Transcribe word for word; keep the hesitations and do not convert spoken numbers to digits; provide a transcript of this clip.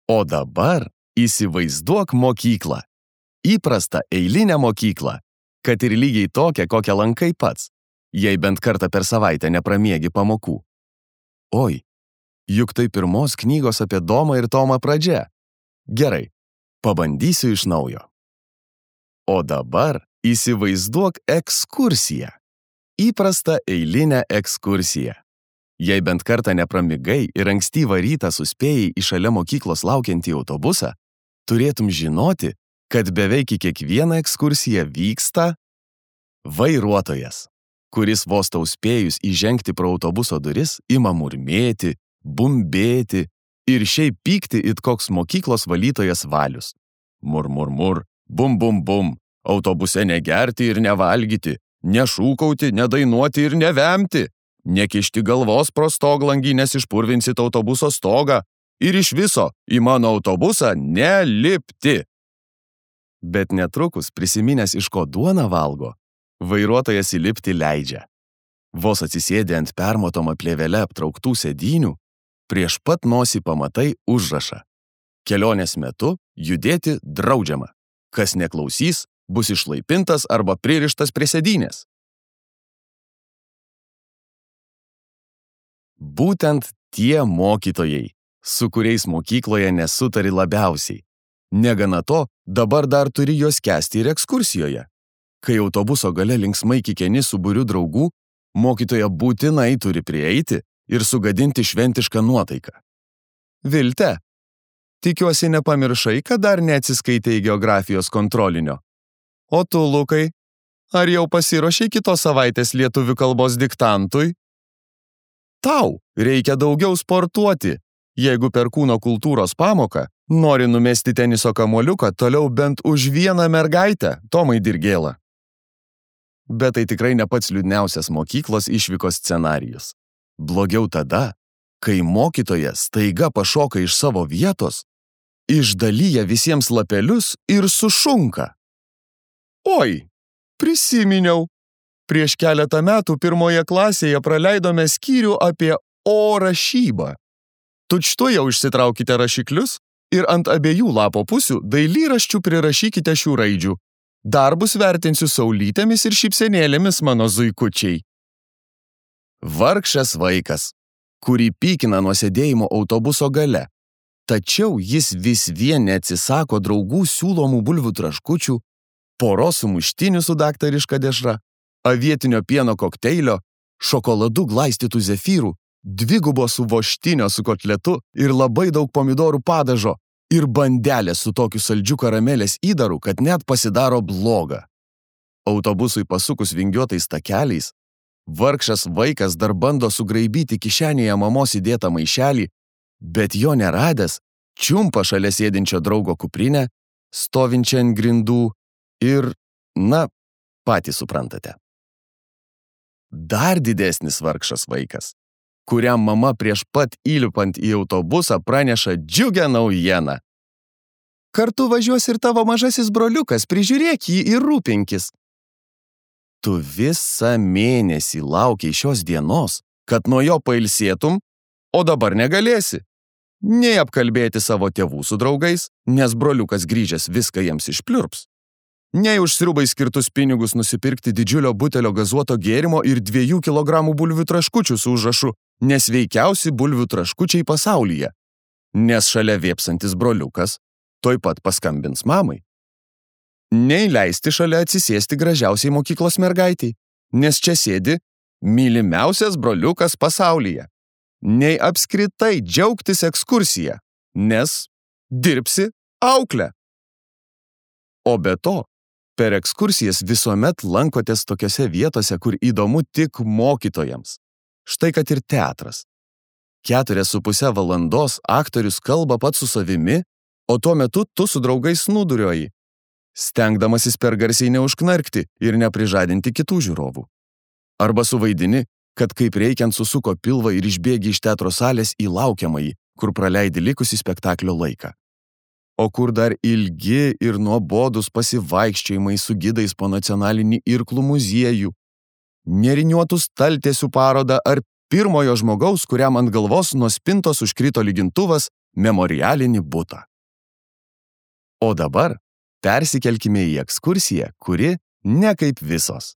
O dabar įsivaizduok mokyklą. Įprastą eilinę mokyklą, kad ir lygiai tokią, kokią lankai pats, jei bent kartą per savaitę nepramiegi pamokų. Oi, juk tai pirmos knygos apie Domą ir Tomą pradžia. Gerai, pabandysiu iš naujo. O dabar įsivaizduok ekskursiją. Įprastą eilinę ekskursiją. Jei bent kartą nepramigai ir ankstyvą rytą suspėjai į šalia mokyklos laukiantį autobusą, turėtum žinoti, kad beveik į kiekvieną ekskursiją vyksta vairuotojas, kuris vos tau spėjus įžengti pro autobuso duris ima murmėti, bumbėti ir šiaip pykti it koks mokyklos valytojas Valius. Mur, mur, mur, bum, bum, bum, autobuse negerti ir nevalgyti, nešūkauti, nedainuoti ir nevemti, nekišti galvos pro stoglangį, nes išpurvinsit autobuso stogą ir iš viso į mano autobusą nelipti. Bet netrukus, prisiminęs iš ko duoną valgo, vairuotojas įlipti leidžia. Vos atsisėdė ant permatoma plėvele aptrauktų sėdynių, prieš pat nosį pamatai užrašą. Kelionės metu judėti draudžiama. Kas neklausys, bus išlaipintas arba pririštas prie sėdynės. Būtent tie mokytojai, su kuriais mokykloje nesutari labiausiai. Negana to, dabar dar turi juos kęsti ir ekskursijoje. Kai autobuso gale linksmai kikeni su būriu draugų, mokytoja būtinai turi prieiti ir sugadinti šventišką nuotaiką. Vilte, tikiuosi nepamiršai, kad dar neatsiskaitei geografijos kontrolinio. O tu, Lukai, ar jau pasiruošei kitos savaitės lietuvių kalbos diktantui? Tau reikia daugiau sportuoti, jeigu per kūno kultūros pamoką nori numesti teniso kamuoliuką toliau bent už vieną mergaitę, Tomai Dirgėla. Bet tai tikrai ne pats liūdniausias mokyklos išvykos scenarijus. Blogiau tada, kai mokytoja staiga pašoka iš savo vietos, išdalyja visiems lapelius ir sušunka. Oi, prisiminiau. Prieš keletą metų pirmoje klasėje praleidome skyrių apie O rašybą. Tučtuojau išsitraukite rašiklius ir ant abiejų lapo pusių dailyraščių prirašykite šių raidžių. Darbus vertinsiu saulytėmis ir šypsenėlėmis, mano zuikučiai. Vargšas vaikas, kurį pykina nuo sėdėjimo autobuso gale. Tačiau jis vis vien neatsisako draugų siūlomų bulvių traškučių, poros sumuštinių su daktariška dešra, avietinio pieno kokteilio, šokoladu glaistytų zefyrų, dvigubo su voštinio su kotletu ir labai daug pomidorų padažo ir bandelė su tokiu saldžiu karamelės įdaru, kad net pasidaro bloga. Autobusui pasukus vingiuotais takeliais, vargšas vaikas dar bando sugraibyti kišenėje mamos įdėtą maišelį, bet jo neradęs, čiumpa šalia sėdinčio draugo kuprinę, stovinčią ant grindų ir, na, patys suprantate. Dar didesnis vargšas vaikas, kuriam mama prieš pat įlipant į autobusą praneša džiugią naujieną. Kartu važiuos ir tavo mažasis broliukas, prižiūrėk jį ir rūpinkis. Tu visą mėnesį laukiai šios dienos, kad nuo jo pailsėtum, o dabar negalėsi. Nei apkalbėti savo tėvų su draugais, nes broliukas grįžęs viską jiems išpliurps. Nei už sriubai skirtus pinigus nusipirkti didžiulio butelio gazuoto gėrimo ir dviejų kilogramų bulvių traškučių su užrašu nesveikiausi bulvių traškučiai pasaulyje, nes šalia vėpsantis broliukas tuoj pat paskambins mamai. Nei leisti šalia atsisėsti gražiausiai mokyklos mergaitei, nes čia sėdi mylimiausias broliukas pasaulyje. Nei apskritai džiaugtis ekskursija, nes dirbsi auklę. O be to, per ekskursijas visuomet lankotės tokiose vietose, kur įdomu tik mokytojams. Štai kad ir teatras. Keturias su pusę valandos aktorius kalba pats su savimi, o tuo metu tu su draugais snūduriuoji, stengdamasis per garsiai neužknarkti ir neprižadinti kitų žiūrovų. Arba suvaidini, kad kaip reikiant susuko pilvą ir išbėgi iš teatro salės į laukiamąjį, kur praleidi likusį spektaklio laiką. O kur dar ilgi ir nuobodus pasivaikščiojimai su gidais po nacionalinį irklų muziejų, neriniuotų staltiesių parodą ar pirmojo žmogaus, kuriam ant galvos nuo spintos užkrito lygintuvas, memorialinį butą. O dabar persikelkime į ekskursiją, kuri ne kaip visos.